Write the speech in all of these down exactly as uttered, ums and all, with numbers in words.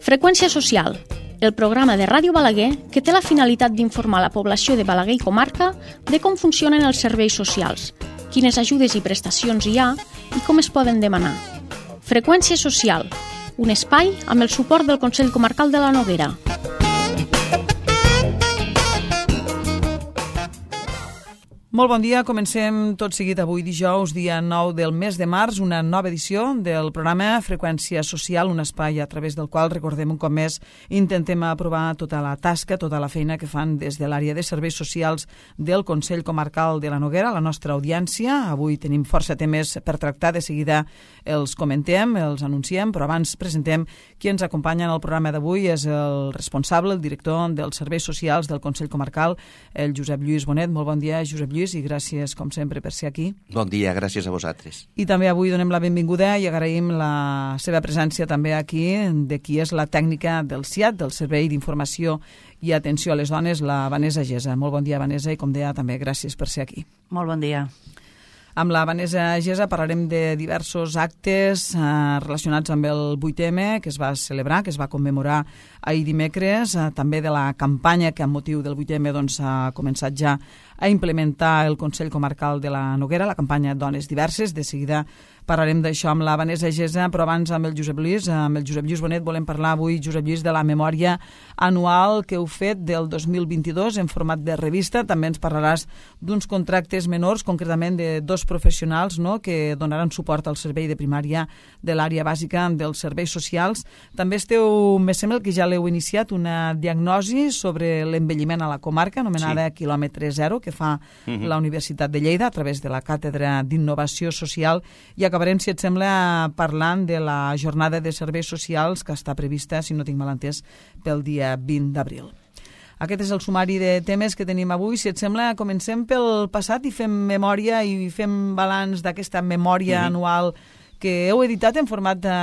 Freqüència social, el programa de Ràdio Balaguer que té la finalitat d'informar la població de Balaguer i comarca de com funcionen els serveis socials, quines ajudes i prestacions hi ha i com es poden demanar. Freqüència social, un espai amb el suport del Consell Comarcal de la Noguera. Molt bon dia, comencem tot seguit avui dijous, dia nou del mes de març, una nova edició del programa Freqüència Social, un espai a través del qual, recordem un cop més, intentem aprovar tota la tasca, tota la feina que fan des de l'àrea de serveis socials del Consell Comarcal de la Noguera, la nostra audiència. Avui tenim força temes per tractar, de seguida els comentem, els anunciem, però abans presentem qui ens acompanya en el programa d'avui. És el responsable, el director dels serveis socials del Consell Comarcal, el Josep Lluís Bonet. Molt bon dia, Josep Lluís, i gràcies, com sempre, per ser aquí. Bon dia, gràcies a vosaltres. I també avui donem la benvinguda i agraïm la seva presència també aquí de qui és la tècnica del S I A T, del Servei d'Informació i Atenció a les Dones, la Vanessa Gesa. Molt bon dia, Vanessa, i com deia també, gràcies per ser aquí. Molt bon dia. Amb la Vanessa Gesa parlarem de diversos actes eh, relacionats amb el vuit eme que es va celebrar, que es va commemorar ahir dimecres, eh, també de la campanya que amb motiu del vuit eme doncs, ha començat ja a implementar el Consell Comarcal de la Noguera, la campanya Dones Diverses. De seguida parlarem d'això amb la Vanessa Gesa, però abans amb el Josep Lluís, amb el Josep Lluís Bonet, volem parlar avui, Josep Lluís, de la memòria anual que heu fet del dos mil vint-i-dos en format de revista. També ens parlaràs d'uns contractes menors, concretament de dos professionals, no?, que donaran suport al servei de primària de l'àrea bàsica dels serveis socials. També esteu, me sembla que ja l'heu iniciat, una diagnosi sobre l'envelliment a la comarca, anomenada sí. quilòmetre zero, que fa uh-huh. la Universitat de Lleida a través de la Càtedra d'Innovació Social, i acabarem, si et sembla, parlant de la jornada de serveis socials que està prevista, si no tinc mal entès, pel dia vint d'abril. Aquest és el sumari de temes que tenim avui. Si et sembla, comencem pel passat i fem memòria i fem balanç d'aquesta memòria uh-huh. anual que heu editat en format de,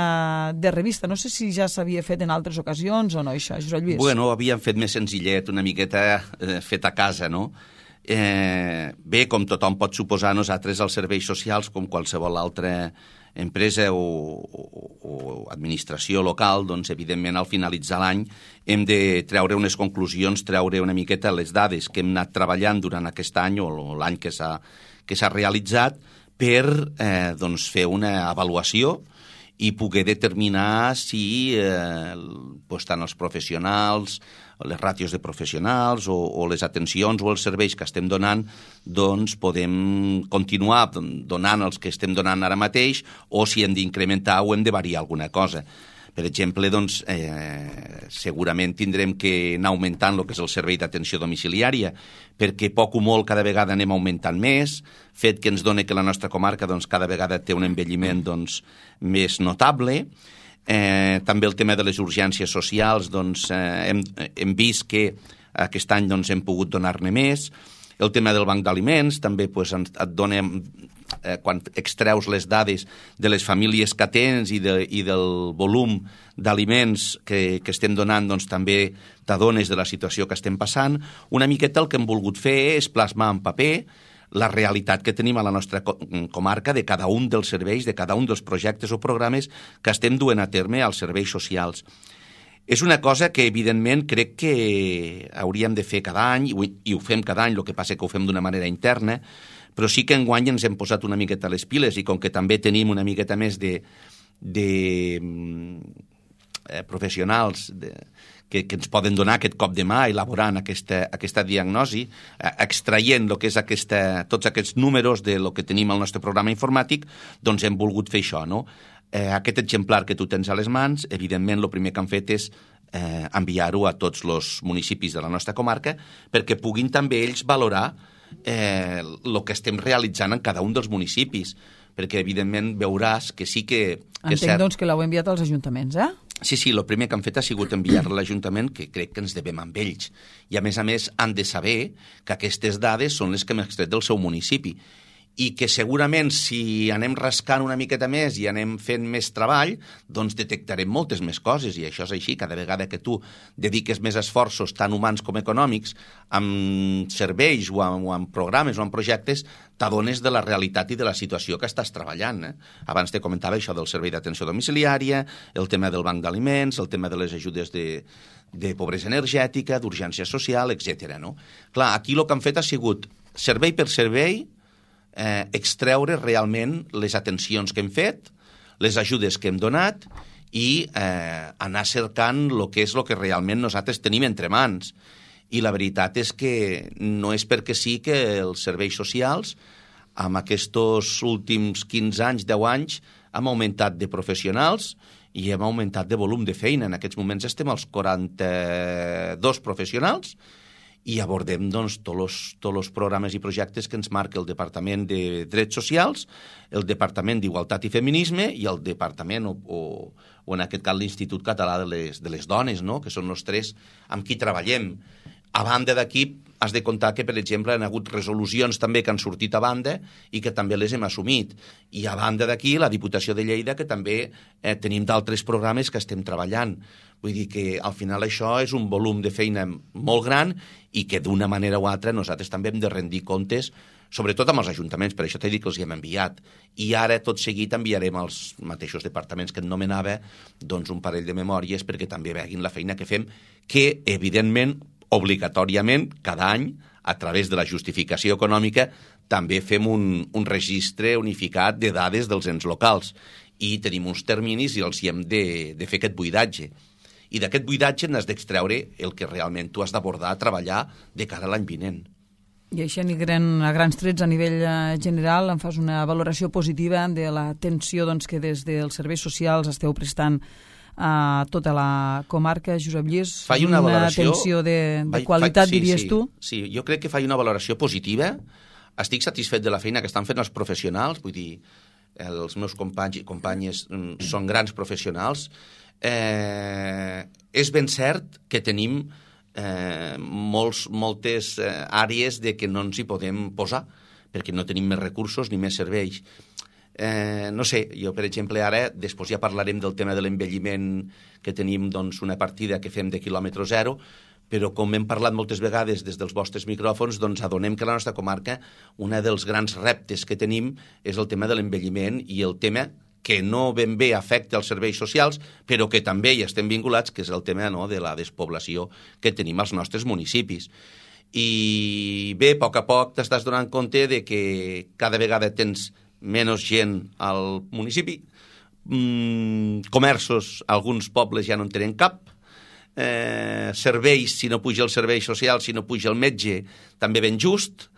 de revista. No sé si ja s'havia fet en altres ocasions o no, això, Josep Lluís. Bueno, havíem fet més senzillet, una miqueta eh, fet a casa, no? Eh, bé, com tothom pot suposar, nosaltres als serveis socials, com qualsevol altra empresa o, o, o administració local, doncs evidentment al finalitzar l'any hem de treure unes conclusions, treure una miqueta les dades que hem anat treballant durant aquest any o l'any que s'ha que s'ha realitzat per eh, doncs fer una avaluació i poder determinar si eh, doncs, tant els professionals, les ràtios de professionals o, o les atencions o els serveis que estem donant, doncs podem continuar donant els que estem donant ara mateix o si hem d'incrementar o hem de variar alguna cosa. Per exemple, doncs, eh, segurament tindrem que anar augmentant el que és el servei d'atenció domiciliària, perquè poc o molt cada vegada anem augmentant més, fet que ens dona que la nostra comarca doncs, cada vegada té un envelliment doncs, més notable. Eh, també el tema de les urgències socials, doncs, eh, hem, hem vist que aquest any doncs, hem pogut donar-ne més. El tema del banc d'aliments també doncs, et dona, eh, quan extreus les dades de les famílies que tens i, de, i del volum d'aliments que, que estem donant, doncs, també t'adones de la situació que estem passant. Una miqueta el que hem volgut fer és plasmar en paper la realitat que tenim a la nostra comarca de cada un dels serveis, de cada un dels projectes o programes que estem duent a terme als serveis socials. És una cosa que, evidentment, crec que hauríem de fer cada any, i ho fem cada any, el que passa que ho fem d'una manera interna, però sí que enguany ens hem posat una miqueta les piles, i com que també tenim una miqueta més de, de eh, professionals de, que, que ens poden donar aquest cop de mà elaborant aquesta, aquesta diagnosi, eh, extraient lo que és aquesta, tots aquests números de lo que tenim al nostre programa informàtic, doncs hem volgut fer això, no? Eh, aquest exemplar que tu tens a les mans, evidentment, el primer que han fet és eh, enviar-ho a tots els municipis de la nostra comarca perquè puguin també ells valorar eh, el que estem realitzant en cada un dels municipis, perquè, evidentment, veuràs que sí que... que Entenc, cert... doncs, que l'heu enviat als ajuntaments, eh? Sí, sí, el primer que han fet ha sigut enviar-la a l'Ajuntament, que crec que ens devem amb ells. I, a més a més, han de saber que aquestes dades són les que hem extret del seu municipi. i que segurament si anem rascant una miqueta més i anem fent més treball, doncs detectarem moltes més coses, i això és així. Cada vegada que tu dediques més esforços, tant humans com econòmics, amb serveis o amb, o amb programes o amb projectes, t'adones de la realitat i de la situació que estàs treballant. Eh? Abans te comentava això del servei d'atenció domiciliària, el tema del banc d'aliments, el tema de les ajudes de, de pobresa energètica, d'urgència social, etcètera. No? Clar, aquí el que han fet ha sigut servei per servei, Eh, extreure realment les atencions que hem fet, les ajudes que hem donat i eh, anar cercant el que és el que realment nosaltres tenim entre mans. I la veritat és que no és perquè sí que els serveis socials, amb aquests últims quinze anys, deu anys, hem augmentat de professionals i hem augmentat de volum de feina. En aquests moments estem als quaranta-dos professionals i abordem doncs, tots els tots els programes i projectes que ens marca el Departament de Drets Socials, el Departament d'Igualtat i Feminisme i el Departament, o, o, o en aquest cas l'Institut Català de les, de les Dones, no? Que són els tres amb qui treballem. A banda d'aquí, has de comptar que, per exemple, han hagut resolucions també que han sortit a banda i que també les hem assumit. I a banda d'aquí, la Diputació de Lleida, que també eh, tenim d'altres programes que estem treballant. Vull dir que al final això és un volum de feina molt gran i que d'una manera o altra nosaltres també hem de rendir comptes, sobretot amb els ajuntaments, per això t'he dit que els hi hem enviat. I ara, tot seguit, enviarem als mateixos departaments que et nomenava doncs un parell de memòries perquè també veguin la feina que fem, que, evidentment, obligatòriament, cada any, a través de la justificació econòmica, també fem un, un registre unificat de dades dels ens locals. I tenim uns terminis i els hi hem de, de fer aquest buidatge. I d'aquest buidatge n'has d'extreure el que realment tu has d'abordar a treballar de cara a l'any vinent. I així, a grans trets, a nivell general, em fas una valoració positiva de l'atenció doncs, que des dels serveis socials esteu prestant a tota la comarca, Josep Lluís. Fai una, una valoració, atenció de, de fai, qualitat, fai, sí, diries sí, tu? Sí, jo crec que faig una valoració positiva. Estic satisfet de la feina que estan fent els professionals, vull dir, els meus companys i companyes són grans professionals. Eh, és ben cert que tenim eh, molts, moltes eh, àrees de que no ens hi podem posar, perquè no tenim més recursos ni més serveis. Eh, no sé, jo, per exemple, ara, després ja parlarem del tema de l'envelliment, que tenim doncs, una partida que fem de quilòmetre zero, però com hem parlat moltes vegades des dels vostres micròfons, doncs adonem que a la nostra comarca un dels grans reptes que tenim és el tema de l'envelliment i el tema que no ben bé afecta els serveis socials, però que també hi estem vinculats, que és el tema no, de la despoblació que tenim als nostres municipis. I bé, a poc a poc t'estàs donant compte de que cada vegada tens menys gent al municipi, mm, comerços, alguns pobles ja no en tenen cap, eh, serveis, si no puja el servei social, si no puja el metge, també ben just,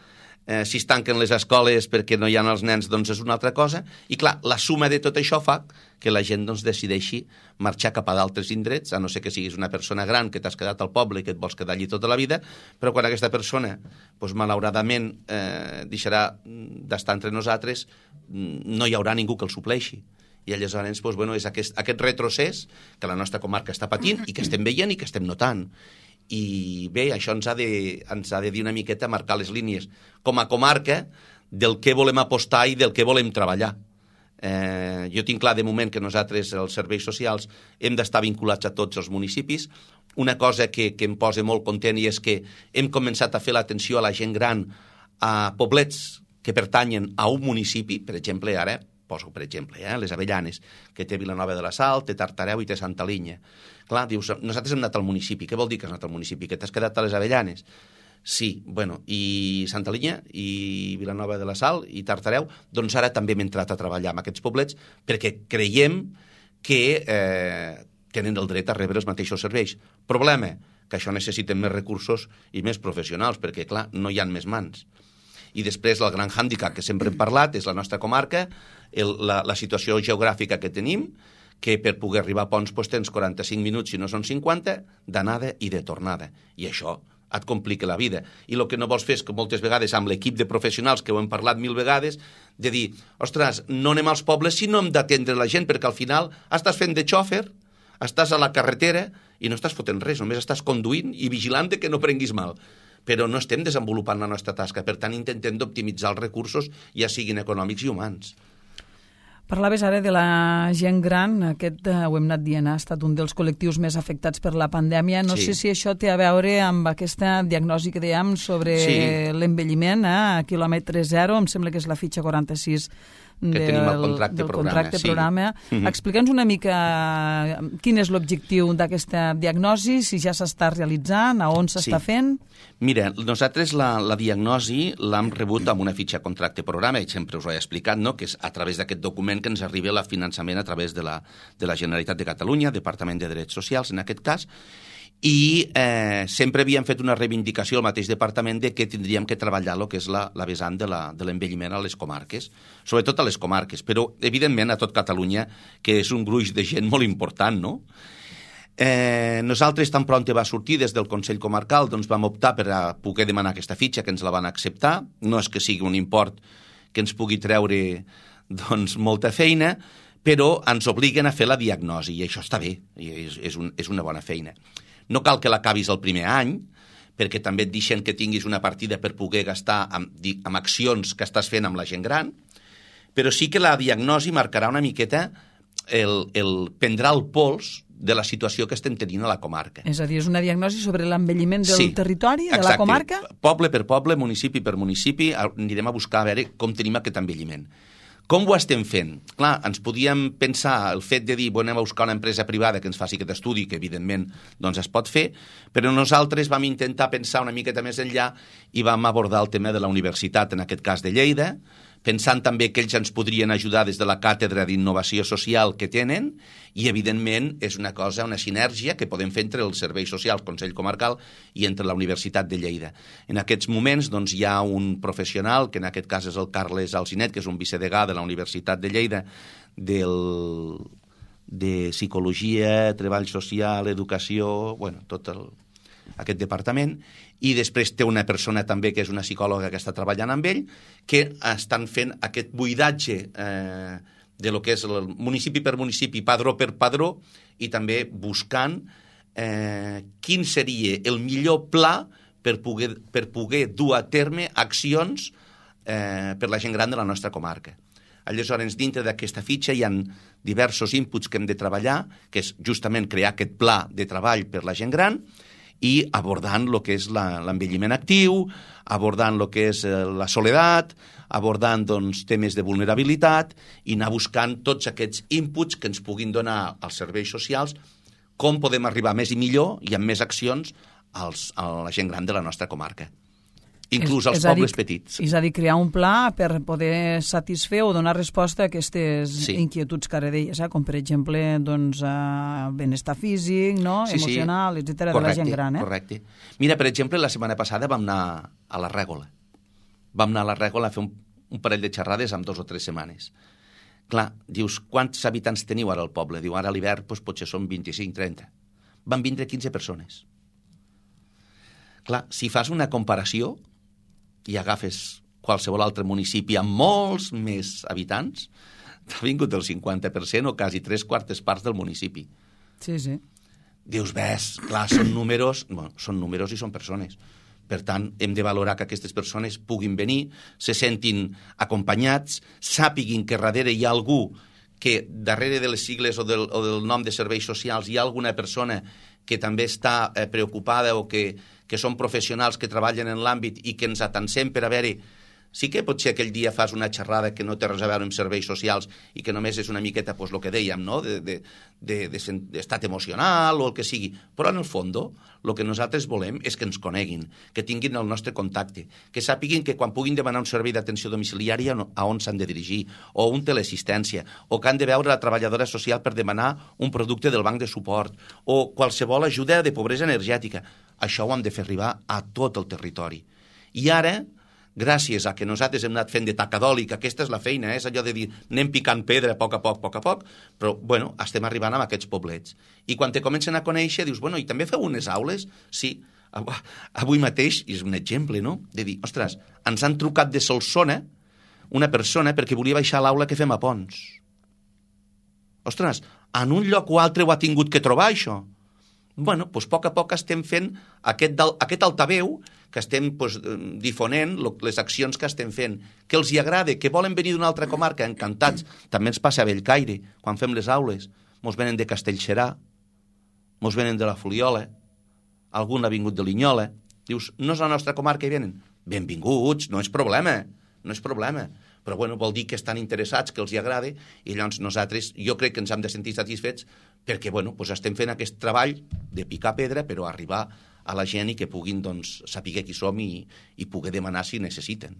eh, si es tanquen les escoles perquè no hi ha els nens, doncs és una altra cosa, i clar, la suma de tot això fa que la gent doncs, decideixi marxar cap a d'altres indrets, a no ser que siguis una persona gran que t'has quedat al poble i que et vols quedar allí tota la vida, però quan aquesta persona, doncs, malauradament, eh, deixarà d'estar entre nosaltres, no hi haurà ningú que el supleixi. I aleshores doncs, bueno, és aquest, aquest retrocés que la nostra comarca està patint i que estem veient i que estem notant. I bé, això ens ha, de, ens ha de dir una miqueta, marcar les línies com a comarca del que volem apostar i del que volem treballar. Eh, jo tinc clar de moment que nosaltres, els serveis socials, hem d'estar vinculats a tots els municipis. Una cosa que, que em posa molt content i és que hem començat a fer l'atenció a la gent gran a poblets que pertanyen a un municipi, per exemple, ara poso per exemple, eh, les Avellanes, que té Vilanova de la Sal, té Tartareu i té Santa Linya. Clar, dius, nosaltres hem anat al municipi. Què vol dir que has anat al municipi? Que t'has quedat a les Avellanes? Sí, bueno, i Santa Linya, i Vilanova de la Sal, i Tartareu, doncs ara també hem entrat a treballar amb aquests poblets perquè creiem que eh, tenen el dret a rebre els mateixos serveis. Problema, que això necessiten més recursos i més professionals, perquè, clar, no hi ha més mans. I després el gran hàndicap que sempre hem parlat és la nostra comarca, el, la, la situació geogràfica que tenim, que per poder arribar a Ponts doncs, tens quaranta-cinc minuts, si no són cinquanta, d'anada i de tornada. I això et complica la vida. I el que no vols fer és que moltes vegades amb l'equip de professionals, que ho hem parlat mil vegades, de dir, ostres, no anem als pobles si no hem d'atendre la gent, perquè al final estàs fent de xòfer, estàs a la carretera i no estàs fotent res, només estàs conduint i vigilant que no prenguis mal. però no estem desenvolupant la nostra tasca. Per tant, intentem d'optimitzar els recursos, ja siguin econòmics i humans. Parlaves ara de la gent gran, aquest, eh, ho hem anat dient, ha estat un dels col·lectius més afectats per la pandèmia. No Sí. sé si això té a veure amb aquesta diagnosi que dèiem sobre Sí. l'envelliment, eh, a quilòmetre zero, em sembla que és la fitxa quaranta-sis Que del, tenim el contracte del programa, contracte sí. programa. Mhm. Explica'ns una mica quin és l'objectiu d'aquesta diagnosi, si ja s'està realitzant, a on s'està Sí. fent. Mira, nosaltres la, la diagnosi l'hem rebut amb una fitxa contracte programa, i sempre us ho he explicat, no?, que és a través d'aquest document que ens arriba el finançament a través de la, de la Generalitat de Catalunya, Departament de Drets Socials, en aquest cas, i eh, sempre havíem fet una reivindicació al mateix departament de que tindríem que treballar el que és la, la vessant de la, de l'envelliment a les comarques, sobretot a les comarques, però evidentment a tot Catalunya, que és un gruix de gent molt important, no? Eh, nosaltres tan pront va sortir des del Consell Comarcal, doncs vam optar per a poder demanar aquesta fitxa, que ens la van acceptar. No és que sigui un import que ens pugui treure doncs, molta feina, però ens obliguen a fer la diagnosi, i això està bé, i és, és, un, és una bona feina. No cal que l'acabis el primer any, perquè també et deixen que tinguis una partida per poder gastar amb, amb accions que estàs fent amb la gent gran, però sí que la diagnosi marcarà una miqueta, el, el prendrà el pols de la situació que estem tenint a la comarca. És a dir, és una diagnosi sobre l'envelliment del Sí, territori, de exacte. la comarca? Poble per poble, municipi per municipi, anirem a buscar a veure com tenim aquest envelliment. Com ho estem fent? Clar, ens podíem pensar el fet de dir, bueno, anem a buscar una empresa privada que ens faci aquest estudi, que evidentment doncs, es pot fer, però nosaltres vam intentar pensar una miqueta més enllà i vam abordar el tema de la universitat, en aquest cas de Lleida, pensant també que ells ens podrien ajudar des de la càtedra d'innovació social que tenen, i evidentment és una cosa, una sinergia que podem fer entre els serveis socials, Consell Comarcal, i entre la Universitat de Lleida. En aquests moments doncs, hi ha un professional, que en aquest cas és el Carles Alcinet, que és un vicedegà de la Universitat de Lleida, del, de Psicologia, Treball Social, Educació, bueno, tot el, aquest departament, i després té una persona també que és una psicòloga que està treballant amb ell, que estan fent aquest buidatge eh, de lo que és el municipi per municipi, padró per padró, i també buscant eh, quin seria el millor pla per poder, per poder dur a terme accions eh, per la gent gran de la nostra comarca. Aleshores, dintre d'aquesta fitxa hi ha diversos inputs que hem de treballar, que és justament crear aquest pla de treball per la gent gran, i abordant el que és l'envelliment actiu, abordant el que és la soledat, abordant doncs, temes de vulnerabilitat, i anar buscant tots aquests inputs que ens puguin donar als serveis socials, com podem arribar més i millor i amb més accions als, a la gent gran de la nostra comarca. Inclús als pobles dir, petits. És a dir, crear un pla per poder satisfer o donar resposta a aquestes sí. inquietuds que ara deies, eh? Com per exemple doncs, eh, benestar físic, no? sí, emocional, sí. etcètera, Correcte, de la gent gran. Eh? Correcte. Mira, per exemple, la setmana passada vam anar a la Règola. Vam anar a la Règola a fer un, un parell de xerrades en dos o tres setmanes. Clar, dius, quants habitants teniu ara al poble? Diu, ara a l'hivern doncs, potser són vint-i-cinc trenta. Van vindre quinze persones. Clar, si fas una comparació i agafes qualsevol altre municipi amb molts més habitants, t'ha vingut el cinquanta per cent o quasi tres quartes parts del municipi. Sí, sí. Dius, ves, clar, són números, bueno, són números i són persones. Per tant, hem de valorar que aquestes persones puguin venir, se sentin acompanyats, sàpiguin que darrere hi ha algú que darrere de les sigles o del, o del nom de serveis socials hi ha alguna persona que també està eh, preocupada o que, que són professionals que treballen en l'àmbit i que ens atansem per a veure. Sí que potser aquell dia fas una xerrada que no té res a veure amb serveis socials i que només és una miqueta, pues, el que dèiem, no? de, de, de, de, d'estat emocional o el que sigui. Però en el fons, el que nosaltres volem és que ens coneguin, que tinguin el nostre contacte, que sàpiguin que quan puguin demanar un servei d'atenció domiciliària a on s'han de dirigir, o un teleassistència, o que han de veure la treballadora social per demanar un producte del banc de suport, o qualsevol ajuda de pobresa energètica. Això ho hem de fer arribar a tot el territori. I ara, gràcies a que nosaltres hem anat fent de tacadol i que aquesta és la feina, eh? És allò de dir anem picant pedra a poc a poc, a poc a poc, però bueno, estem arribant amb aquests poblets. I quan te comencen a conèixer dius, bueno, i també feu unes aules? Sí, avui mateix, i és un exemple, no?, de dir, ostres, ens han trucat de Solsona una persona perquè volia baixar a l'aula que fem a Pons. Ostres, en un lloc o altre ho ha tingut que trobar, això. bueno, doncs, a poc a poc estem fent aquest, aquest altaveu que estem doncs, difonent les accions que estem fent, que els hi agrada, que volen venir d'una altra comarca, encantats. També ens passa a Bellcaire, quan fem les aules, mos venen de Castellserà, mos venen de la Fuliola, algun ha vingut de Linyola. Dius, no és la nostra comarca i venen? Benvinguts, no és problema, no és problema. Però bueno, vol dir que estan interessats, que els hi agrada, i llavors nosaltres, jo crec que ens hem de sentir satisfets perquè bueno, doncs estem fent aquest treball de picar pedra, però arribar a la gent i que puguin doncs, saber qui som i, i poder demanar si necessiten.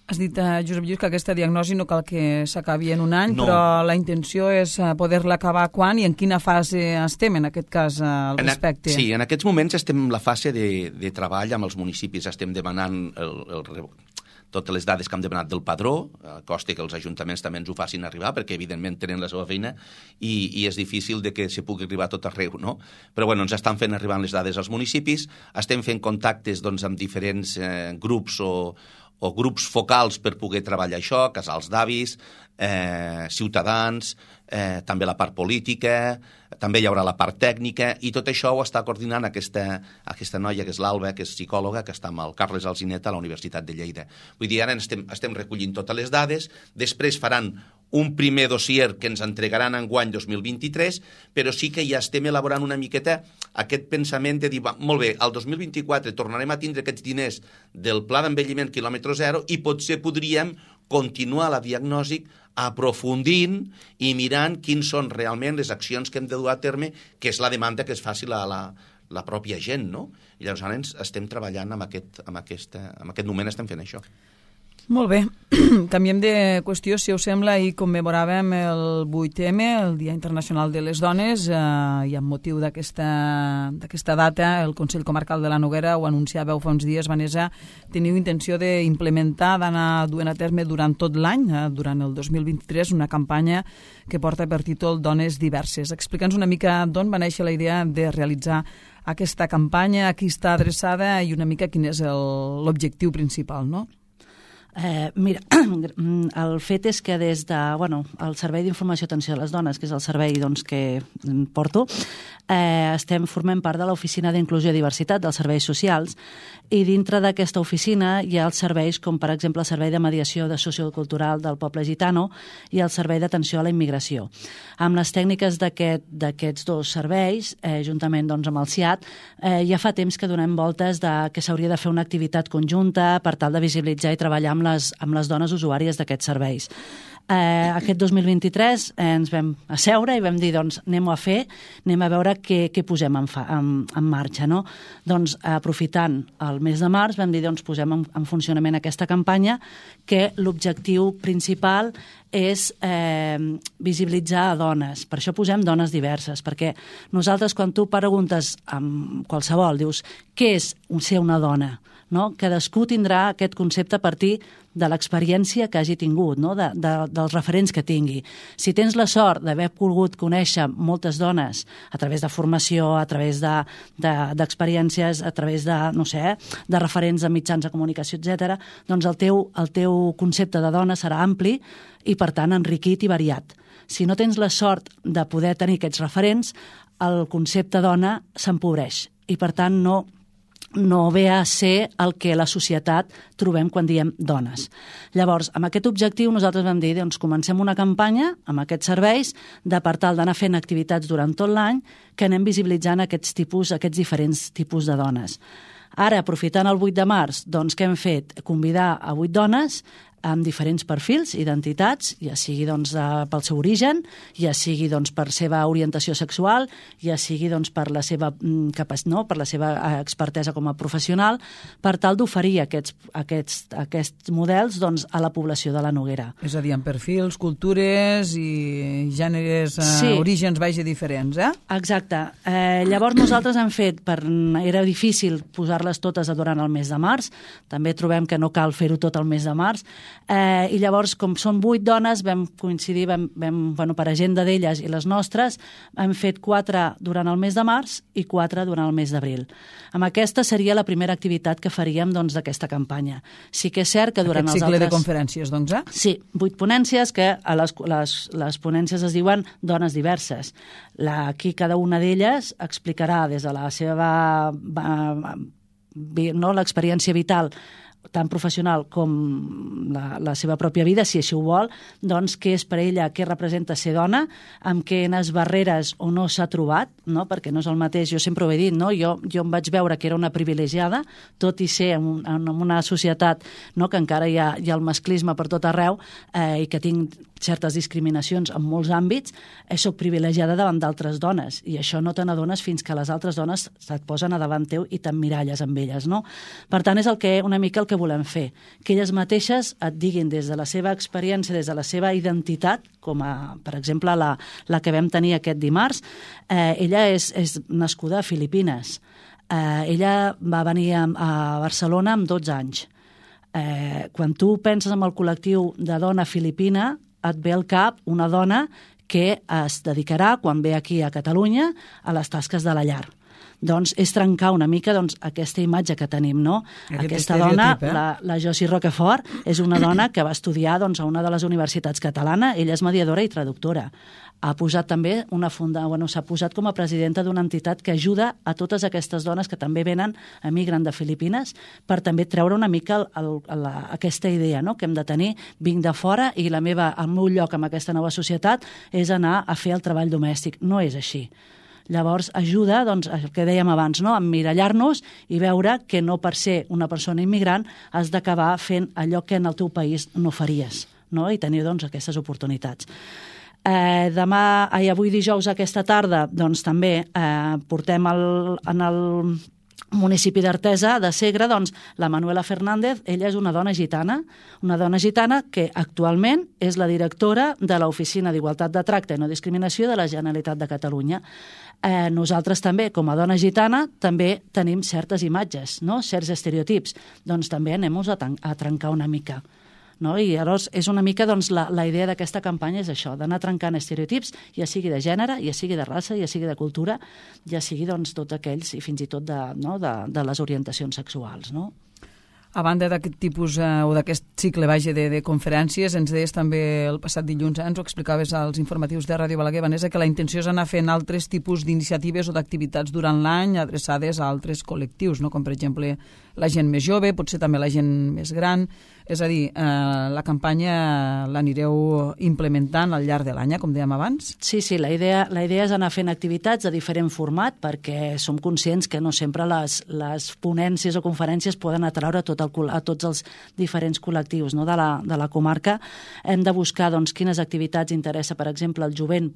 Has dit, uh, Josep Lluís, que aquesta diagnosi no cal que s'acabi en un any, no. Però la intenció és uh, poder-la acabar quan i en quina fase estem, en aquest cas, uh, al respecte? En a, sí, en aquests moments estem en la fase de, de treball amb els municipis, estem demanant el, el, totes les dades que hem demanat del padró, a costa que els ajuntaments també ens ho facin arribar, perquè evidentment tenen la seva feina i, i és difícil de que se pugui arribar a tot arreu, no? Però bueno, ens estan fent arribar les dades als municipis, estem fent contactes doncs, amb diferents eh, grups o, o grups focals per poder treballar això, casals d'avis, eh, ciutadans, eh, també la part política, també hi haurà la part tècnica, i tot això ho està coordinant aquesta, aquesta noia, que és l'Alba, que és psicòloga, que està amb el Carles Alzinet a la Universitat de Lleida. Vull dir, ara estem, estem recollint totes les dades, després faran un primer dossier que ens entregaran enguany dos mil vint-i-tres, però sí que ja estem elaborant una miqueta aquest pensament de dir, va, molt bé, al dos mil vint-i-quatre tornarem a tindre aquests diners del Pla d'Envelliment quilòmetre zero i potser podríem continuar la diagnosi aprofundint i mirant quins són realment les accions que hem de dur a terme, que és la demanda que es faci la, la, la pròpia gent, no? I llavors ara ens estem treballant amb aquest, amb aquesta, amb aquest moment estem fent això. Molt bé, canviem de qüestió, si us sembla, i commemoràvem el vuit eme, el Dia Internacional de les Dones, eh, i amb motiu d'aquesta data el Consell Comarcal de la Noguera ho anunciàveu fa uns dies, Vanessa, teniu intenció d'implementar, d'anar duent a terme durant tot l'any, eh, durant el dos mil vint-i-tres, una campanya que porta per títol Dones Diverses. Explica'ns una mica d'on va néixer la idea de realitzar aquesta campanya, a qui està adreçada i una mica quin és l'objectiu principal, no? Eh, mira, el fet és que des de, bueno, el Servei d'Informació i Atenció a les Dones, que és el servei doncs, que porto, eh, estem formant part de l'Oficina d'Inclusió i Diversitat dels Serveis Socials, i dintre d'aquesta oficina hi ha els serveis com, per exemple, el Servei de Mediació de Sociocultural del Poble Gitano i el Servei d'Atenció a la Immigració. Amb les tècniques d'aquests aquest, dos serveis, eh, juntament doncs, amb el C I A T, eh, ja fa temps que donem voltes de que s'hauria de fer una activitat conjunta per tal de visibilitzar i treballar amb les, amb les dones usuàries d'aquests serveis. Eh, aquest dos mil vint-i-tres eh, ens vam asseure i vam dir, doncs, anem-ho a fer, anem a veure què, què posem en, fa, en, en marxa, no? Doncs, aprofitant el mes de març, vam dir, doncs, posem en, en funcionament aquesta campanya, que l'objectiu principal és eh, visibilitzar a dones. Per això posem dones diverses, perquè nosaltres, quan tu preguntes amb qualsevol, dius, què és ser una dona? No? Cadascú tindrà aquest concepte a partir de l'experiència que hagi tingut, no? de, de, dels referents que tingui. Si tens la sort d'haver pogut conèixer moltes dones a través de formació, a través d'experiències, de, de, a través de, no sé, de referents de mitjans de comunicació, etcètera, doncs el teu, el teu concepte de dona serà ampli i, per tant, enriquit i variat. Si no tens la sort de poder tenir aquests referents, el concepte dona s'empobreix i, per tant, no no ve a ser el que la societat trobem quan diem dones. Llavors, amb aquest objectiu nosaltres vam dir, doncs comencem una campanya amb aquests serveis de per tal d'anar fent activitats durant tot l'any que anem visibilitzant aquests tipus, aquests diferents tipus de dones. Ara, aprofitant el vuit de març, doncs què hem fet? Convidar a vuit dones amb diferents perfils, identitats, ja sigui doncs, pel seu origen, ja sigui doncs, per seva orientació sexual, ja sigui doncs, per la seva capacitat, no? per la seva expertesa com a professional, per tal d'oferir aquests, aquests, aquests models doncs, a la població de la Noguera. És a dir, amb perfils, cultures i gèneres, sí. eh, orígens vaja diferents, eh? Exacte. Eh, llavors nosaltres hem fet, per, era difícil posar-les totes durant el mes de març, també trobem que no cal fer-ho tot el mes de març, Eh, I llavors, com són vuit dones, vam coincidir, vam, vam, bueno, per agenda d'elles i les nostres, hem fet quatre durant el mes de març i quatre durant el mes d'abril. Amb aquesta seria la primera activitat que faríem doncs, d'aquesta campanya. Sí que és cert que durant Aquest els cicle altres... de conferències, doncs, eh? Sí, vuit ponències que a les, les, les ponències es diuen dones diverses. La, aquí cada una d'elles explicarà des de la seva no, l'experiència vital tant professional com la, la seva pròpia vida, si així ho vol, doncs què és per ella, què representa ser dona, amb quines barreres o no s'ha trobat, no? Perquè no és el mateix, jo sempre ho he dit, no? jo, jo em vaig veure que era una privilegiada, tot i ser en, en una societat no? que encara hi ha, hi ha el masclisme per tot arreu eh, i que tinc certes discriminacions en molts àmbits, eh, soc privilegiada davant d'altres dones i això no te n'adones fins que les altres dones se't posen a davant teu i t'emmiralles amb elles, no? Per tant, és el que, una mica el que volem fer, que elles mateixes et diguin des de la seva experiència, des de la seva identitat, com a, per exemple, la, la que vam tenir aquest dimarts, eh, ella és, és nascuda a Filipines. Eh, ella va venir a, a Barcelona amb dotze anys. Eh, quan tu penses en el col·lectiu de dona filipina, et ve al cap una dona que es dedicarà, quan ve aquí a Catalunya, a les tasques de la llar. Doncs és trencar una mica doncs, aquesta imatge que tenim, no? Aquest Aquesta dona, eh? la, la Josie Roquefort, és una dona que va estudiar doncs, a una de les universitats catalanes, ella és mediadora i traductora. Ha posat també una funda, bueno, s'ha posat com a presidenta d'una entitat que ajuda a totes aquestes dones que també venen, emigren de Filipines, per també treure una mica el, el, la, aquesta idea, no? Que hem de tenir, vinc de fora i la meva, el meu lloc en aquesta nova societat és anar a fer el treball domèstic. No és així. Llavors ajuda, doncs, el que dèiem abans, no? A emmirallar-nos i veure que no per ser una persona immigrant has d'acabar fent allò que en el teu país no faries, no? I tenir doncs, aquestes oportunitats. Eh, demà, ai, avui dijous aquesta tarda, doncs també eh, portem el, en el municipi d'Artesa, de Segre, doncs, la Manuela Fernández, ella és una dona gitana, una dona gitana que actualment és la directora de l'Oficina d'Igualtat de Tracte i No Discriminació de la Generalitat de Catalunya. Eh, nosaltres també, com a dona gitana, també tenim certes imatges, no? Certs estereotips. Doncs també anem-nos a, a trencar una mica. No? I llavors és una mica doncs, la, la idea d'aquesta campanya és això, d'anar trencant estereotips, ja sigui de gènere, ja sigui de raça, ja sigui de cultura, ja sigui doncs, tots aquells i fins i tot de, no? de, de les orientacions sexuals. No? A banda d'aquest tipus eh, o d'aquest cicle vaja, de, de conferències, ens deies també el passat dilluns, eh, ens ho explicaves als informatius de Ràdio Balaguer, Vanessa, que la intenció és anar fent altres tipus d'iniciatives o d'activitats durant l'any adreçades a altres col·lectius, no? Com per exemple la gent més jove, potser també la gent més gran. És a dir, eh, la campanya l'anireu implementant al llarg de l'any, com dèiem abans? Sí, sí, la idea, la idea és anar fent activitats de diferent format perquè som conscients que no sempre les, les ponències o conferències poden atraure tot el, a tots els diferents col·lectius, no? de, la, de la comarca. Hem de buscar doncs, quines activitats interessa, per exemple, el jovent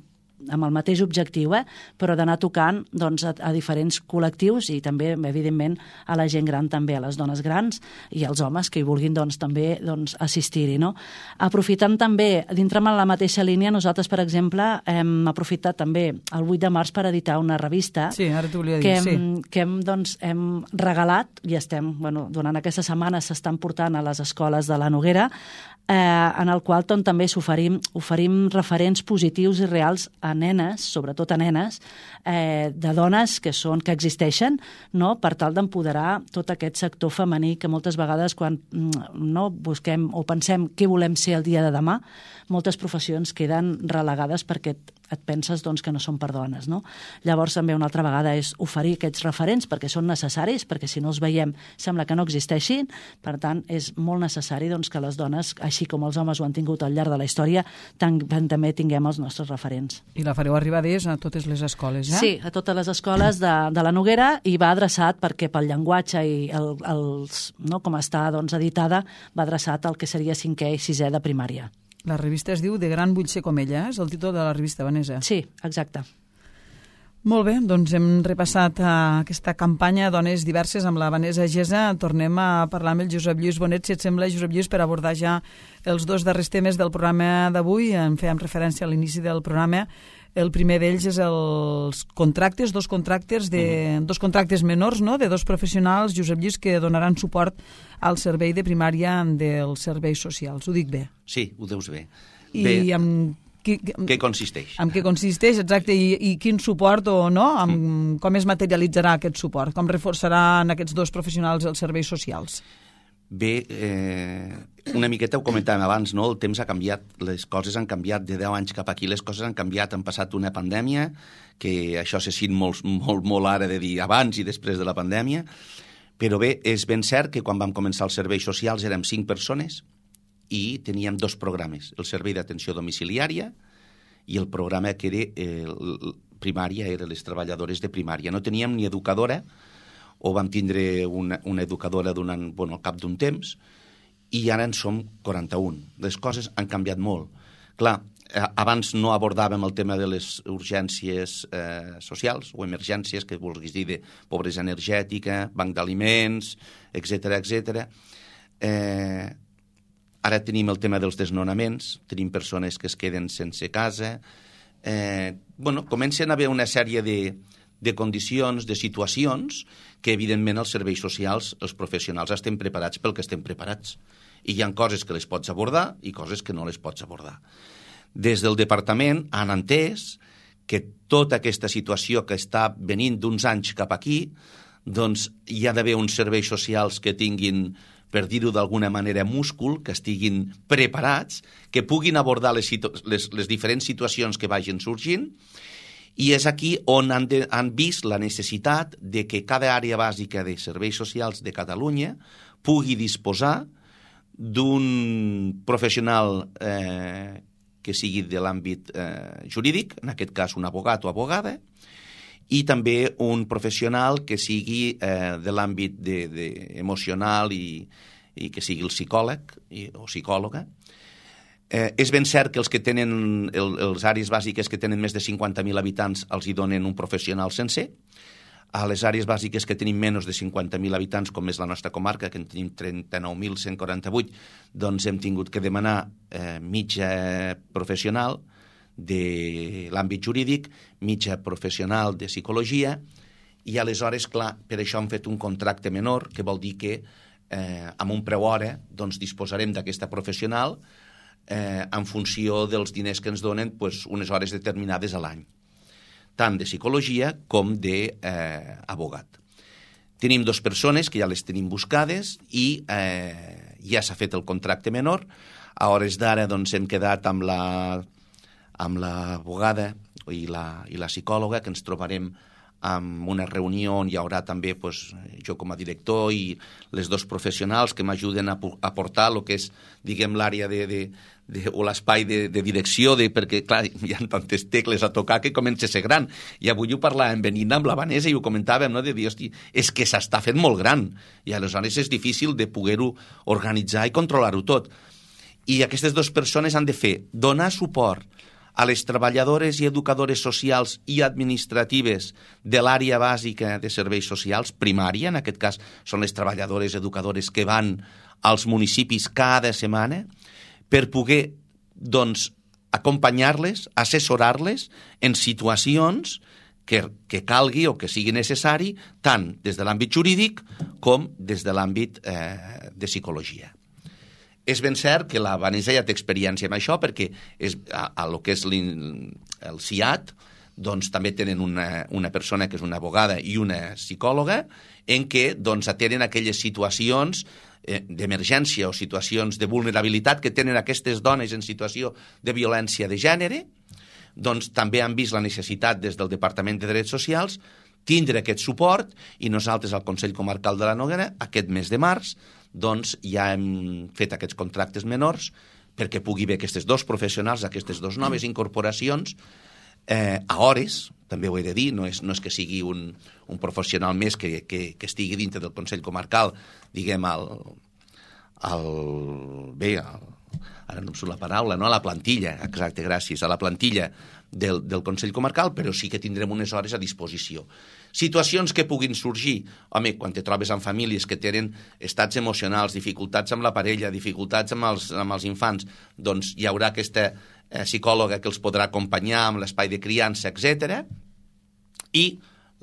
amb el mateix objectiu, eh? Però d'anar tocant doncs, a, a diferents col·lectius i també, evidentment, a la gent gran també, a les dones grans i als homes que hi vulguin doncs, també doncs, assistir-hi. No? Aprofitant també, dintre de la mateixa línia, nosaltres, per exemple, hem aprofitat també el vuit de març per editar una revista sí, ara t'ho volia dir, que, hem, sí. que hem, doncs, hem regalat i estem, bueno, durant aquesta setmana s'estan portant a les escoles de la Noguera, eh, en el qual doncs, també s'oferim oferim referents positius i reals a nenes, sobretot a nenes, eh, de dones que són que existeixen, no? Per tal d'empoderar tot aquest sector femení que moltes vegades quan no busquem o pensem què volem ser el dia de demà, moltes professions queden relegades perquè et, et penses doncs, que no són per dones. No? Llavors també una altra vegada és oferir aquests referents perquè són necessaris, perquè si no els veiem sembla que no existeixin, per tant és molt necessari doncs, que les dones, així com els homes ho han tingut al llarg de la història, també tinguem els nostres referents. I la fareu arribar des a totes les escoles, eh? Sí, a totes les escoles de, de la Noguera i va adreçat perquè pel llenguatge i el, els, no, com està doncs, editada, va adreçat al que seria cinquè i sisè de primària. La revista es diu De gran vull ser com ella, eh? És el títol de la revista, Vanessa. Sí, exacte. Molt bé, doncs hem repassat uh, aquesta campanya Dones Diverses amb la Vanessa Gesa. Tornem a parlar amb el Josep Lluís Bonet, si et sembla, Josep Lluís, per abordar ja els dos darrers temes del programa d'avui. En fèiem referència a l'inici del programa. El primer d'ells és els contractes, dos contractes, de, mm. dos contractes menors, no?, de dos professionals, Josep Lluís, que donaran suport al servei de primària dels serveis socials. Ho dic bé? Sí, ho deus bé. I bé. amb... Qui, què consisteix? En què consisteix, exacte, i, i quin suport o no, amb, mm. com es materialitzarà aquest suport, com reforçaran aquests dos professionals els serveis socials? Bé, eh, una miqueta ho comentàvem abans, no? El temps ha canviat, les coses han canviat, de deu anys cap aquí les coses han canviat, han passat una pandèmia, que això se sent molt, molt, molt ara de dir abans i després de la pandèmia, però bé, és ben cert que quan vam començar els serveis socials érem cinc persones, i teníem dos programes, el servei d'atenció domiciliària i el programa que era eh, primària, eren les treballadores de primària. No teníem ni educadora, o vam tindre una, una educadora durant, bueno, al cap d'un temps, i ara en som quaranta-un. Les coses han canviat molt. Clar, abans no abordàvem el tema de les urgències eh, socials o emergències, que vulguis dir de pobresa energètica, banc d'aliments, etcètera, etcètera. Eh, Ara tenim el tema dels desnonaments, tenim persones que es queden sense casa. Eh, bueno, comencen a haver una sèrie de, de condicions, de situacions, que evidentment els serveis socials, els professionals, estem preparats pel que estem preparats. I hi ha coses que les pots abordar i coses que no les pots abordar. Des del departament han entès que tota aquesta situació que està venint d'uns anys cap aquí, doncs hi ha d'haver uns serveis socials que tinguin, per dir-ho d'alguna manera, múscul, que estiguin preparats, que puguin abordar les, les, les diferents situacions que vagin sorgint, i és aquí on han, de, han vist la necessitat de que cada àrea bàsica de serveis socials de Catalunya pugui disposar d'un professional eh, que sigui de l'àmbit eh, jurídic, en aquest cas un abogat o abogada, i també un professional que sigui eh, de l'àmbit de, de emocional i, i que sigui el psicòleg i, o psicòloga. Eh, és ben cert que els que tenen el, els àrees bàsiques que tenen més de cinquanta mil habitants els hi donen un professional sencer. A les àrees bàsiques que tenim menys de cinquanta mil habitants, com és la nostra comarca, que en tenim trenta-nou mil cent quaranta-vuit, doncs hem tingut que demanar eh, mitja professional de l'àmbit jurídic, mitja professional de psicologia, i aleshores, clar, per això han fet un contracte menor, que vol dir que eh, amb un preu hora doncs, disposarem d'aquesta professional eh, en funció dels diners que ens donen pues, unes hores determinades a l'any, tant de psicologia com d'abogat. Eh, tenim dues persones que ja les tenim buscades i eh, ja s'ha fet el contracte menor. A hores d'ara doncs, hem quedat amb la amb l'abogada i la, i la psicòloga, que ens trobarem amb una reunió on hi haurà també pues, jo com a director i les dos professionals que m'ajuden a aportar el que és, diguem, l'àrea de, de, de, o l'espai de, de direcció, de, perquè, clar, hi ha tantes tecles a tocar que comença a ser gran. I avui ho parlàvem venint amb la Vanessa i ho comentàvem, no? De dir, hosti, és que s'està fent molt gran i aleshores és difícil de poder-ho organitzar i controlar-ho tot. I aquestes dues persones han de fer donar suport a les treballadores i educadores socials i administratives de l'àrea bàsica de serveis socials, primària, en aquest cas són les treballadores educadores que van als municipis cada setmana, per poder, doncs, acompanyar-les, assessorar-les en situacions que, que calgui o que sigui necessari, tant des de l'àmbit jurídic com des de l'àmbit eh, de psicologia. És ben cert que la Vanessa ja té experiència en això, perquè és, a, a lo que és el C I A T, doncs també tenen una, una persona que és una abogada i una psicòloga, en què doncs, atenen aquelles situacions eh, d'emergència o situacions de vulnerabilitat que tenen aquestes dones en situació de violència de gènere. Doncs també han vist la necessitat des del Departament de Drets Socials tindre aquest suport, i nosaltres al Consell Comarcal de la Noguera, aquest mes de març, doncs ja hem fet aquests contractes menors perquè pugui haver aquestes dos professionals, aquestes dues noves incorporacions, eh, a hores, també ho he de dir, no és, no és que sigui un, un professional més que, que, que estigui dintre del Consell Comarcal, diguem, al, al, bé, al, ara no em surt la paraula, no? A la plantilla, exacte, gràcies, a la plantilla del, del Consell Comarcal, però sí que tindrem unes hores a disposició. Situacions que puguin sorgir, home, quan te trobes amb famílies que tenen estats emocionals, dificultats amb la parella, dificultats amb els, amb els infants, doncs hi haurà aquesta eh, psicòloga que els podrà acompanyar amb l'espai de criança, etcètera. I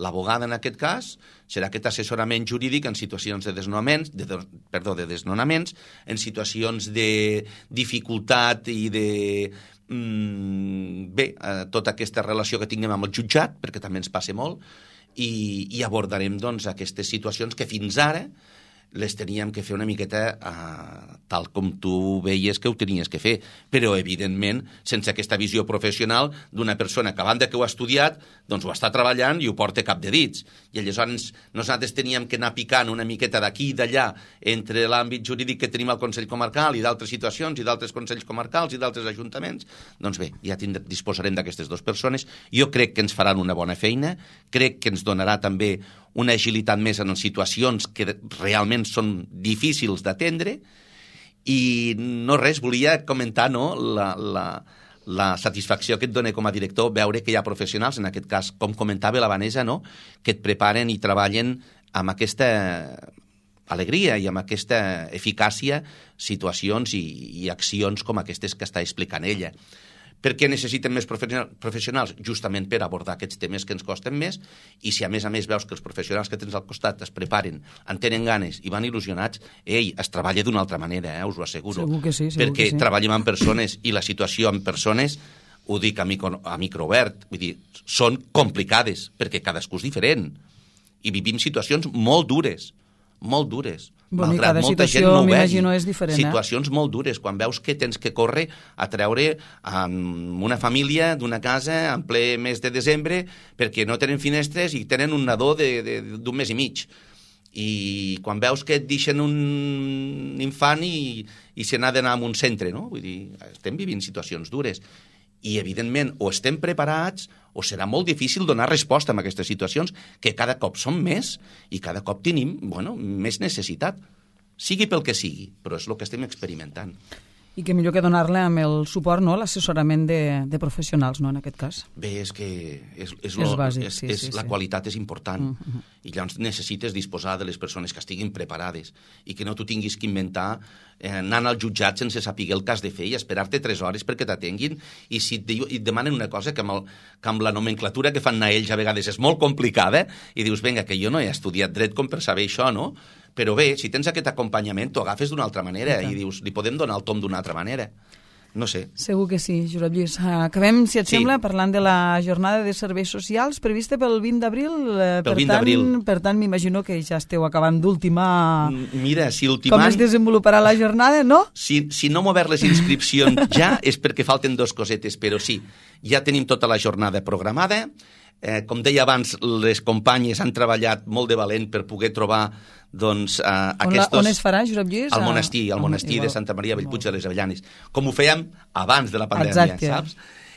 l'abogada, en aquest cas, serà aquest assessorament jurídic en situacions de desnonaments, de, perdó, de desnonaments, en situacions de dificultat i de... Mm, bé, eh, tota aquesta relació que tinguem amb el jutjat, perquè també ens passa molt, i, i abordarem doncs, aquestes situacions que fins ara les teníem que fer una miqueta eh, tal com tu veies que ho tenies que fer, però evidentment sense aquesta visió professional d'una persona que a banda que ho ha estudiat doncs ho està treballant i ho porta cap de dits, i aleshores nosaltres teníem que anar picant una miqueta d'aquí i d'allà entre l'àmbit jurídic que tenim al Consell Comarcal i d'altres situacions i d'altres Consells Comarcals i d'altres ajuntaments. Doncs bé, ja tindrem, disposarem d'aquestes dues persones. Jo crec que ens faran una bona feina, crec que ens donarà també una agilitat més en situacions que realment són difícils d'atendre. I no res, volia comentar, no, la, la, la satisfacció que et dona com a director veure que hi ha professionals, en aquest cas, com comentava la Vanessa, no, que et preparen i treballen amb aquesta alegria i amb aquesta eficàcia situacions i, i accions com aquestes que està explicant ella. Per què necessiten més professionals? Justament per abordar aquests temes que ens costen més, i si a més a més veus que els professionals que tens al costat es preparen, en tenen ganes i van il·lusionats, ei, es treballa d'una altra manera, eh, us ho asseguro. Segur que sí, segur perquè que sí. Treballem amb persones i la situació amb persones, ho dic a micro, a microobert, vull dir, són complicades, perquè cadascú és diferent, i vivim situacions molt dures, molt dures. Bueno, malgrat cada molta situació, gent no ho vegi. m'imagino, és diferent, eh? Situacions molt dures, quan veus que tens que córrer a treure amb una família d'una casa en ple mes de desembre perquè no tenen finestres i tenen un nadó d'un mes i mig. I quan veus que et deixen un infant i, i se n'ha d'anar a un centre, no? Vull dir, estem vivint situacions dures. I, evidentment, o estem preparats o serà molt difícil donar resposta a aquestes situacions que cada cop són més i cada cop tenim, bueno, més necessitat. Sigui pel que sigui, però és el que estem experimentant. I que millor que donar-le amb el suport, no?, l'assessorament de, de professionals, no?, en aquest cas. Bé, és que és, és, és, lo, bàsic, és, sí, és sí, la sí. qualitat és important. Uh -huh. I llavors necessites disposar de les persones que estiguin preparades i que no tu tinguis que inventar eh, anant al jutjat sense saber el que has de fer i esperar-te tres hores perquè t'atenguin, i si et, diu, et demanen una cosa que amb, el, que amb la nomenclatura que fan anar ells a vegades és molt complicada, i dius, vinga, que jo no he estudiat dret com per saber això, no? Però bé, si tens aquest acompanyament, t'ho agafes d'una altra manera i dius, li podem donar el tom d'una altra manera. No sé. Segur que sí, Josep Lluís. Acabem, si et sí. sembla, parlant de la jornada de serveis socials prevista pel vint d'abril. Eh, pel vint d'abril. Per tant, m'imagino que ja esteu acabant d'ultimar... Mira, si ultimant... Com es desenvoluparà la jornada, no? Si, si no hem obert les inscripcions ja és perquè falten dos cosetes, però sí, ja tenim tota la jornada programada. Eh, com deia abans, les companyes han treballat molt de valent per poder trobar doncs, eh, on aquests... La, on es farà, Josep Lluís? Al monestir, al monestir igual. de Santa Maria Bellpuig de les Avellanes, com ho fèiem abans de la pandèmia, Exacte. saps?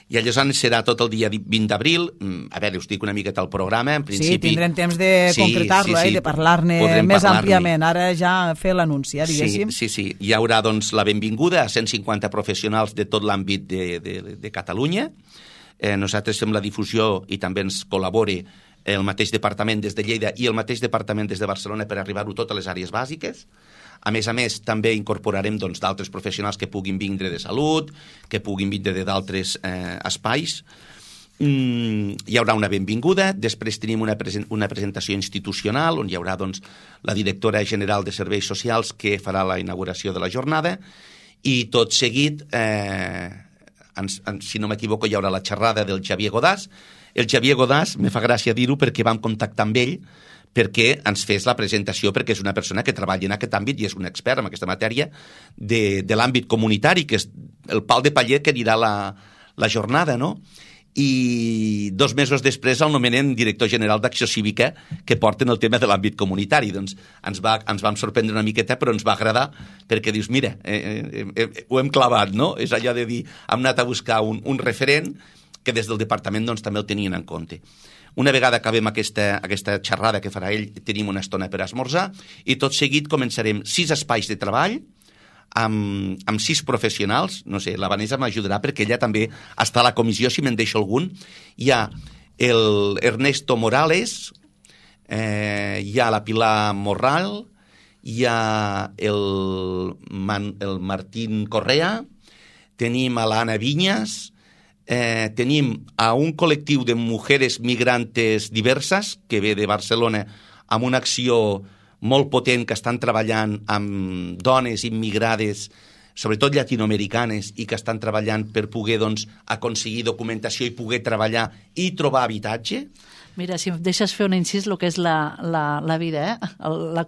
I llavors serà tot el dia vint d'abril. A veure, us dic una miqueta al programa. En principi... Sí, tindrem temps de sí, concretar-lo, sí, sí, eh, de parlar-ne més àmpliament. Ara ja fer l'anunci, eh, diguéssim. Sí, sí, sí. Hi haurà doncs, la benvinguda a cent cinquanta professionals de tot l'àmbit de, de, de Catalunya. Eh, nosaltres fem la difusió i també ens col·labora el mateix departament des de Lleida i el mateix departament des de Barcelona per arribar-ho tot a les àrees bàsiques. A més a més, també incorporarem doncs, d'altres professionals que puguin vindre de salut, que puguin vindre d'altres eh, espais. Mm, hi haurà una benvinguda, després tenim una, presen una presentació institucional on hi haurà doncs, la directora general de Serveis Socials que farà la inauguració de la jornada, i tot seguit... Eh, Ens, ens, si no m'equivoco, hi haurà la xerrada del Xavier Godàs. El Xavier Godàs, me fa gràcia dir-ho perquè vam contactar amb ell perquè ens fes la presentació, perquè és una persona que treballa en aquest àmbit i és un expert en aquesta matèria de, de l'àmbit comunitari, que és el pal de paller que anirà la, la jornada, no? I dos mesos després el nomenen director general d'Acció Cívica, que porten el tema de l'àmbit comunitari. Doncs ens, va, ens vam sorprendre una miqueta, però ens va agradar, perquè dius, mira, eh, eh, eh, ho hem clavat, no? És allò de dir, hem anat a buscar un, un referent que des del departament doncs, també el tenien en compte. Una vegada acabem aquesta, aquesta xerrada que farà ell, tenim una estona per esmorzar, i tot seguit començarem sis espais de treball amb, amb sis professionals, no sé, la Vanessa m'ajudarà perquè ella també està a la comissió, si me'n deixo algun. Hi ha el Ernesto Morales, eh, hi ha la Pilar Morral, hi ha el, Man, el Martín Correa, tenim a l'Anna Vinyas, eh, tenim a un col·lectiu de mujeres migrantes diverses que ve de Barcelona amb una acció molt potent que estan treballant amb dones immigrades, sobretot llatinoamericanes, i que estan treballant per poder doncs, aconseguir documentació i poder treballar i trobar habitatge. Mira, si em deixes fer un incís, el que és la, la, la vida, eh? El, la,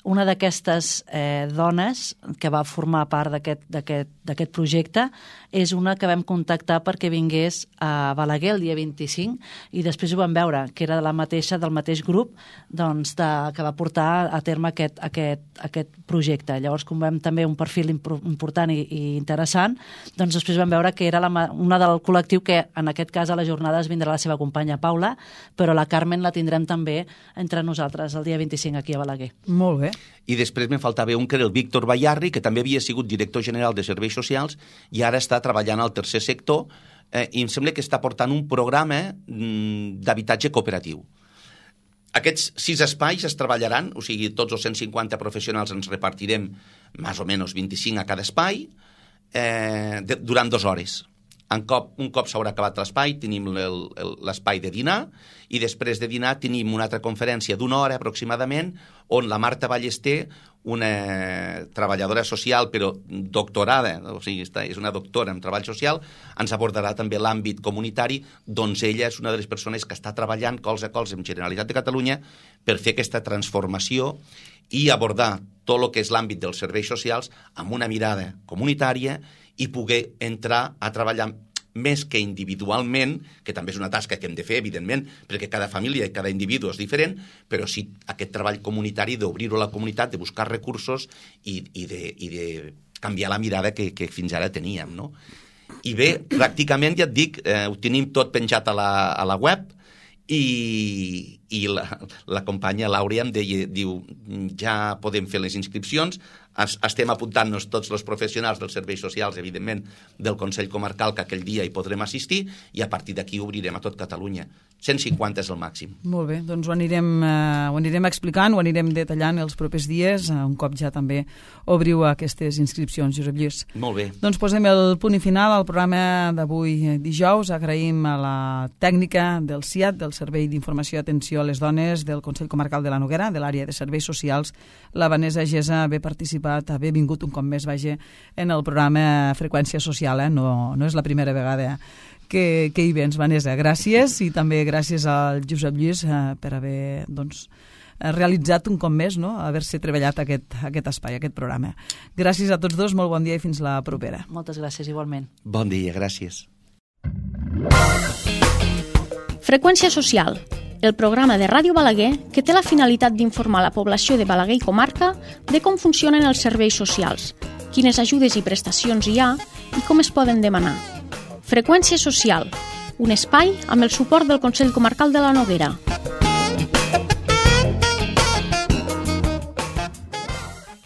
una d'aquestes eh, dones que va formar part d'aquest projecte és una que vam contactar perquè vingués a Balaguer el dia vint-i-cinc i després ho vam veure, que era de la mateixa, del mateix grup doncs, de, que va portar a terme aquest, aquest, aquest projecte. Llavors, com vam també un perfil important i, i interessant, doncs després vam veure que era la, una del col·lectiu que en aquest cas a les jornades vindrà la seva companya Paula, però la Carmen la tindrem també entre nosaltres el dia vint-i-cinc aquí a Balaguer. Molt bé. I després me'n faltava un que era el Víctor Bayarri, que també havia sigut director general de Serveis Socials i ara està treballant al tercer sector eh, i em sembla que està portant un programa mm, d'habitatge cooperatiu. Aquests sis espais es treballaran, o sigui, tots els cent cinquanta professionals ens repartirem més o menys vint-i-cinc a cada espai eh, de, durant dues hores. Un cop, un cop s'haurà acabat l'espai, tenim l'espai de dinar i després de dinar tenim una altra conferència d'una hora aproximadament on la Marta Ballester, una treballadora social però doctorada, o sigui, és una doctora en treball social, ens abordarà també l'àmbit comunitari, doncs ella és una de les persones que està treballant colze a colze amb Generalitat de Catalunya per fer aquesta transformació i abordar tot el que és l'àmbit dels serveis socials amb una mirada comunitària i poder entrar a treballar més que individualment, que també és una tasca que hem de fer, evidentment, perquè cada família i cada individu és diferent, però sí aquest treball comunitari d'obrir-ho a la comunitat, de buscar recursos i, i, de, i de canviar la mirada que, que fins ara teníem, no? I bé, pràcticament, ja et dic, eh, ho tenim tot penjat a la, a la web i, i la, la companya Laura em deia, diu, ja podem fer les inscripcions, estem apuntant-nos tots els professionals dels serveis socials, evidentment, del Consell Comarcal, que aquell dia hi podrem assistir, i a partir d'aquí obrirem a tot Catalunya. cent cinquanta és el màxim. Molt bé, doncs ho anirem, eh, ho anirem explicant, ho anirem detallant els propers dies, un cop ja també obriu aquestes inscripcions, Josep Lluís. Molt bé. Doncs posem el punt i final al programa d'avui dijous. Agraïm a la tècnica del C I A T, del Servei d'Informació i Atenció a les Dones del Consell Comarcal de la Noguera, de l'àrea de serveis socials, la Vanessa Gesa, haver participat, haver vingut un cop més, vaja, en el programa Freqüència Social, eh? no, no és la primera vegada que, que hi vens, Vanessa. Gràcies, i també gràcies al Josep Lluís eh, per haver doncs, realitzat un cop més, no? haver-se treballat aquest, aquest espai, aquest programa. Gràcies a tots dos, molt bon dia i fins la propera. Moltes gràcies, igualment. Bon dia, gràcies. Freqüència Social, el programa de Ràdio Balaguer que té la finalitat d'informar la població de Balaguer i comarca de com funcionen els serveis socials, quines ajudes i prestacions hi ha i com es poden demanar. Freqüència Social, un espai amb el suport del Consell Comarcal de la Noguera.